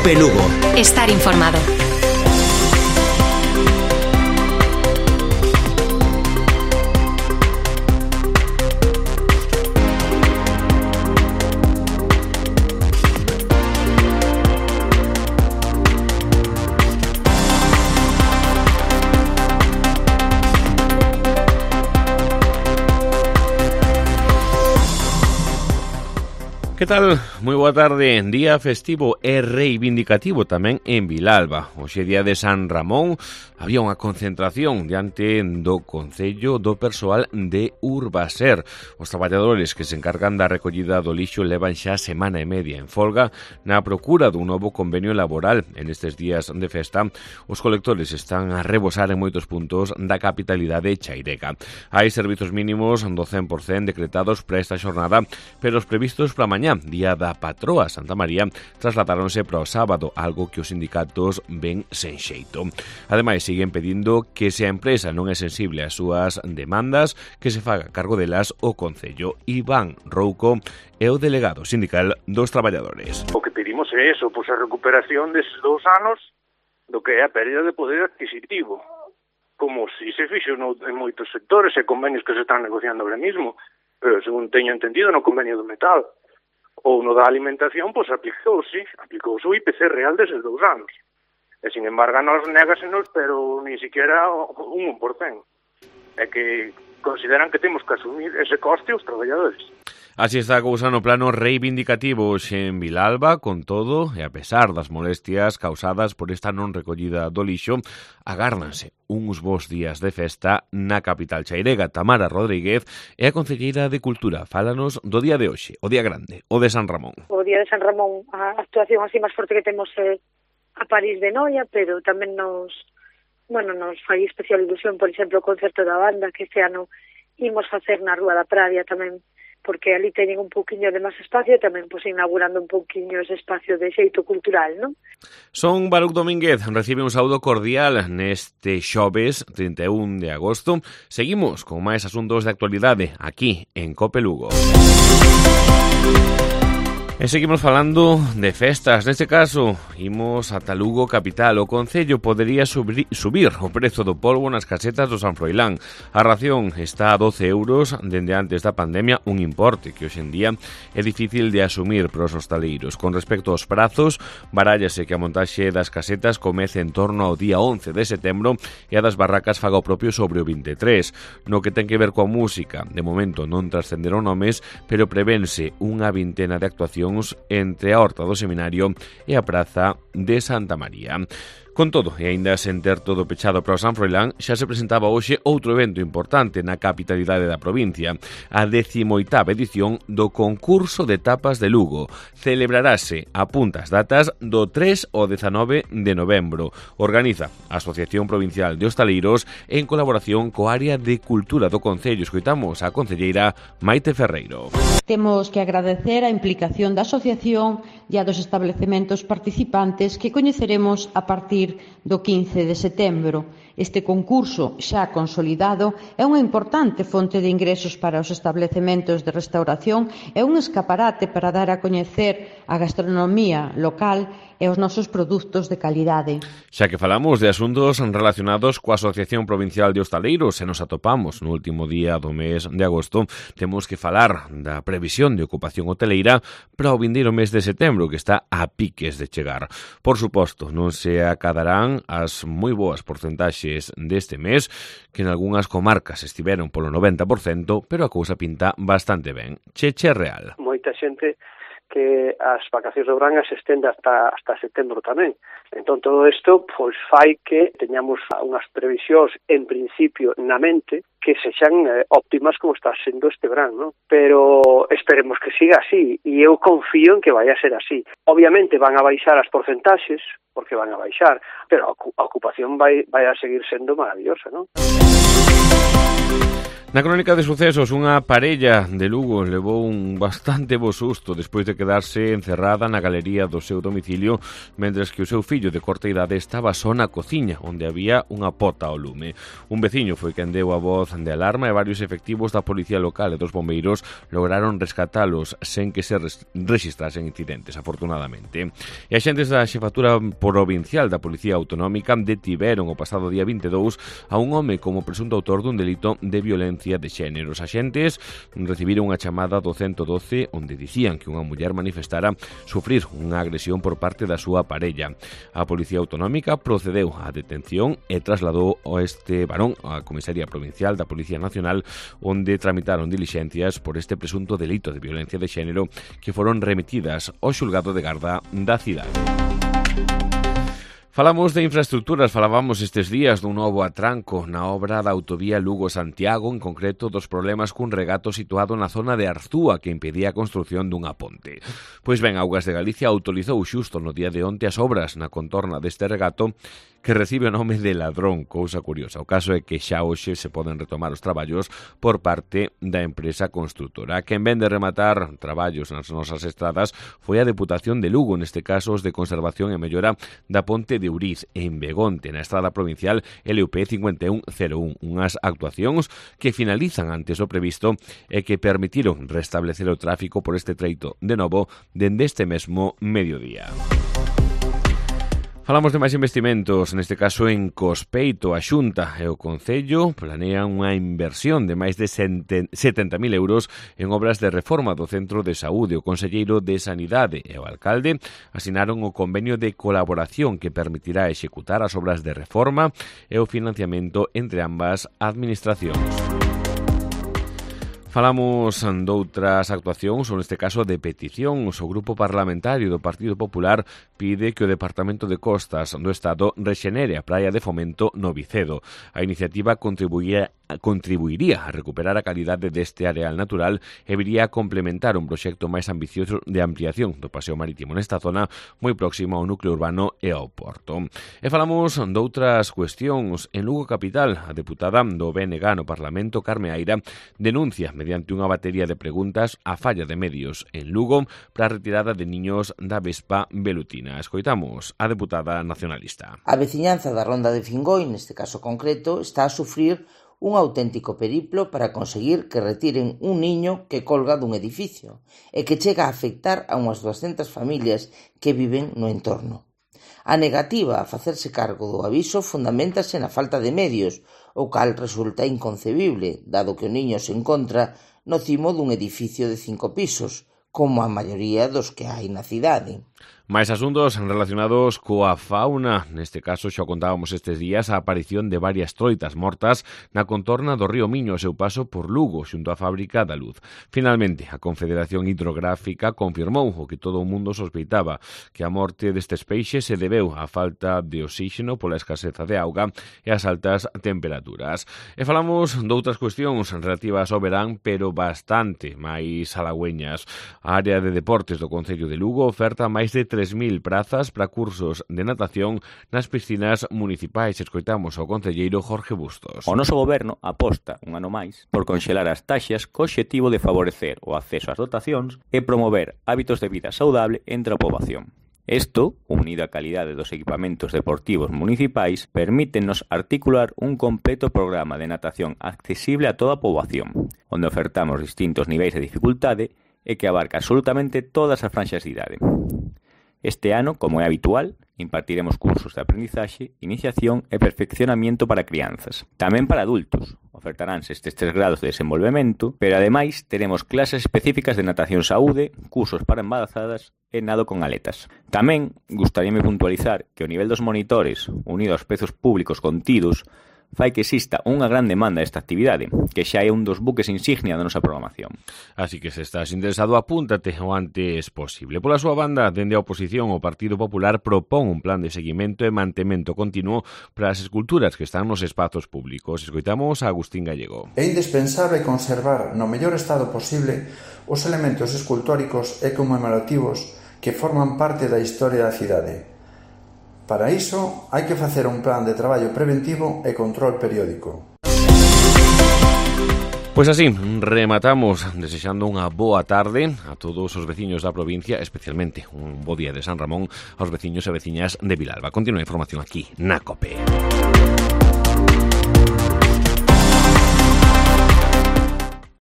COPE Lugo. Estar informado. Que tal? Moi boa tarde. Día festivo e reivindicativo tamén en Vilalba. Hoxe día de San Ramón había unha concentración diante do Concello do persoal de Urbaser. Os traballadores que se encargan da recollida do lixo levan xa semana e media en folga na procura dun novo convenio laboral. En estes días de festa, os colectores están a rebosar en moitos puntos da capitalidade chairega. Hai servizos mínimos do 100% decretados para esta xornada, pero os previstos para mañá, día da patroa Santa María, trasladáronse para o sábado, algo que os sindicatos ven sen xeito. Ademais, siguen pedindo que se a empresa non é sensible ás súas demandas, que se faga cargo delas o Concello. Iván Rouco é o delegado sindical dos traballadores. O que pedimos é eso, pois a recuperación deses 2 anos do que é a pérdida de poder adquisitivo, como si se fixo en moitos sectores e convenios que se están negociando ahora mismo, pero según teño entendido no convenio do metal ou no da alimentación, pois aplicouse o IPC real deses 2 anos. E, sin embargo, nos négasenos, pero ni siquiera un 1%. É que consideran que temos que asumir ese coste os traballadores. Así está a cousa no plano reivindicativo hoxe en Vilalba. Con todo, e a pesar das molestias causadas por esta non recollida do lixo, agárdanse uns bons días de festa na capital chairega. Tamara Rodríguez é a concelleira de Cultura. Fálanos do día de hoxe, o día grande, o de San Ramón. O día de San Ramón, a actuación así máis forte que temos é a París de Noia, pero tamén nos fai especial ilusión, por exemplo, o concerto da banda que este ano imos facer na Rúa da Pravia tamén, porque ali teñen un pouquiño de máis espacio e tamén inaugurando un pouquiño ese espacio de xeito cultural, non? Son Baruc Domínguez, recibe un saúdo cordial neste xoves 31 de agosto. Seguimos con máis asuntos de actualidade aquí en COPE Lugo. E seguimos falando de festas. Neste caso, imos ata Lugo capital. O Concello podería subir o prezo do polvo nas casetas do San Froilán. A ración está a 12 euros dende antes da pandemia, un importe que hoxe en día é difícil de asumir para os hostaleiros. Con respecto aos prazos, barállase que a montaxe das casetas comece en torno ao día 11 de setembro e a das barracas faga o propio sobre o 23. No que ten que ver coa música, de momento non trascenderon nomes, pero prevense unha vintena de actuacións entre a Horta do Seminario e a Praza de Santa María. Con todo, e aínda sen ter todo pechado para o San Froilán, xa se presentaba hoxe outro evento importante na capitalidade da provincia, a 18ª edición do concurso de tapas de Lugo. Celebrarase a puntas datas do 3 ao 19 de novembro. Organiza a Asociación Provincial de Hostaleiros en colaboración coa área de Cultura do Concello. Escoitamos a concelleira Maite Ferreiro. Temos que agradecer a implicación da asociación e a dos establecementos participantes que coñeceremos a partir do 15 de setembro. Este concurso xa consolidado é unha importante fonte de ingresos para os establecementos de restauración e un escaparate para dar a coñecer a gastronomía local e os nosos produtos de calidade. Xa que falamos de asuntos relacionados coa Asociación Provincial de Hostaleiros e nos atopamos no último día do mes de agosto, temos que falar da previsión de ocupación hoteleira para o vindeiro mes de setembro, que está a piques de chegar. Por suposto, non se acadarán as moi boas porcentaxes deste mes, que en algunhas comarcas estiveron polo 90%, pero a cousa pinta bastante ben. Cheche real. Moita xente que as vacacións de verán se estende hasta setembro tamén. Entón, todo isto pois fai que teñamos unhas previsións en principio na mente que sexan óptimas como está sendo este verán, non? Pero esperemos que siga así e eu confío en que vai a ser así. Obviamente van a baixar as porcentaxes, porque van a baixar, pero a ocupación vai a seguir sendo maravillosa, non? Na crónica de sucesos, unha parella de Lugo levou un bastante bo susto despois de quedarse encerrada na galería do seu domicilio mentres que o seu fillo de corta idade estaba só na cociña, onde había unha pota ao lume. Un veciño foi quen deu a voz de alarma e varios efectivos da policía local e dos bombeiros lograron rescatalos sen que se registrasen incidentes, afortunadamente. E axentes da xefatura provincial da Policía Autonómica detiveron o pasado día 22 a un home como presunto autor dun delito de violencia de xénero. Os axentes recibiron unha chamada do 112 onde dicían que unha muller manifestara sufrir unha agresión por parte da súa parella. A Policía Autonómica procedeu á detención e trasladou a este varón á Comisaría Provincial da Policía Nacional onde tramitaron dilixencias por este presunto delito de violencia de xénero que foron remitidas ao xulgado de garda da cidade. Falamos de infraestructuras, falábamos estes días dun novo atranco na obra da autovía Lugo-Santiago, en concreto dos problemas cun regato situado na zona de Arzúa que impedía a construción dunha ponte. Pois ben, Augas de Galicia autorizou xusto no día de onte as obras na contorna deste regato que recibe o nome de Ladrón, cousa curiosa. O caso é que xa hoxe se poden retomar os traballos por parte da empresa construtora. Quen ven de rematar traballos nas nosas estradas foi a Deputación de Lugo, neste caso os de conservación e mellora da ponte de Uriz en Begonte, na estrada provincial LUP 5101, unhas actuacións que finalizan antes do previsto e que permitiron restablecer o tráfico por este treito de novo dende este mesmo mediodía. Falamos de máis investimentos, neste caso en Cospeito. A Xunta e o Concello planean unha inversión de máis de 70.000 euros en obras de reforma do Centro de Saúde. O Conselleiro de Sanidade e o Alcalde asinaron o convenio de colaboración que permitirá executar as obras de reforma e o financiamento entre ambas administracións. Falamos doutras actuacións, ou neste caso de peticións. O Grupo Parlamentario do Partido Popular pide que o Departamento de Costas do Estado rexenere a praia de Fomento no Vicedo. A iniciativa contribuiría a recuperar a calidade deste areal natural e viría a complementar un proxecto máis ambicioso de ampliación do paseo marítimo nesta zona moi próximo ao núcleo urbano e ao porto. E falamos doutras cuestións. En Lugo Capital, a deputada do BNG no Parlamento, Carme Aira, denuncia mediante unha batería de preguntas a falla de medios en Lugo para a retirada de niños da Vespa velutina. Escoitamos a deputada nacionalista. A veciñanza da Ronda de Fingoi, neste caso concreto, está a sufrir un auténtico periplo para conseguir que retiren un niño que colga dun edificio e que chega a afectar a unhas 200 familias que viven no entorno. A negativa a facerse cargo do aviso fundamentase na falta de medios, o cal resulta inconcebible, dado que o niño se encontra no cimo dun edificio de 5 pisos, como a maioría dos que hai na cidade. Máis asuntos relacionados coa fauna. Neste caso, xa contábamos estes días a aparición de varias troitas mortas na contorna do río Miño ao seu paso por Lugo, xunto á fábrica da Luz. Finalmente, a Confederación Hidrográfica confirmou o que todo o mundo sospeitaba, que a morte destes peixes se debeu á falta de oxígeno pola escaseza de auga e as altas temperaturas. E falamos doutras cuestións relativas ao verán, pero bastante máis halagüeñas. A área de deportes do Concello de Lugo oferta máis de 3.000 prazas para cursos de natación nas piscinas municipais. Escoitamos ao concelleiro Jorge Bustos. O noso goberno aposta un ano máis por conxelar as taxas co obxectivo de favorecer o acceso ás dotacións e promover hábitos de vida saudable entre a poboación. Isto, unido á calidade dos equipamentos deportivos municipais, permítenos articular un completo programa de natación accesible a toda a poboación, onde ofertamos distintos niveis de dificultade e que abarca absolutamente todas as franxas de idade. Este ano, como é habitual, impartiremos cursos de aprendizaxe, iniciación e perfeccionamiento para crianzas. Tamén para adultos. Ofertaránse estes 3 grados de desenvolvemento, pero ademais teremos clases específicas de natación saúde, cursos para embarazadas e nado con aletas. Tamén gustaríame puntualizar que o nivel dos monitores, unido aos prezos públicos contidos, fai que exista unha gran demanda desta actividade, que xa é un dos buques insignia da nosa programación. Así que se estás interesado, apúntate o antes posible. Pola súa banda, dende a oposición, o Partido Popular propón un plan de seguimento e mantemento continuo para as esculturas que están nos espazos públicos. Escoitamos a Agustín Gallego. É indispensable conservar no mellor estado posible os elementos escultóricos e conmemorativos que forman parte da historia da cidade. Para iso, hai que facer un plan de traballo preventivo e control periódico. Pois así, rematamos desexando unha boa tarde a todos os veciños da provincia, especialmente un bo día de San Ramón aos veciños e veciñas de Vilalba. Continúa a información aquí na COPE.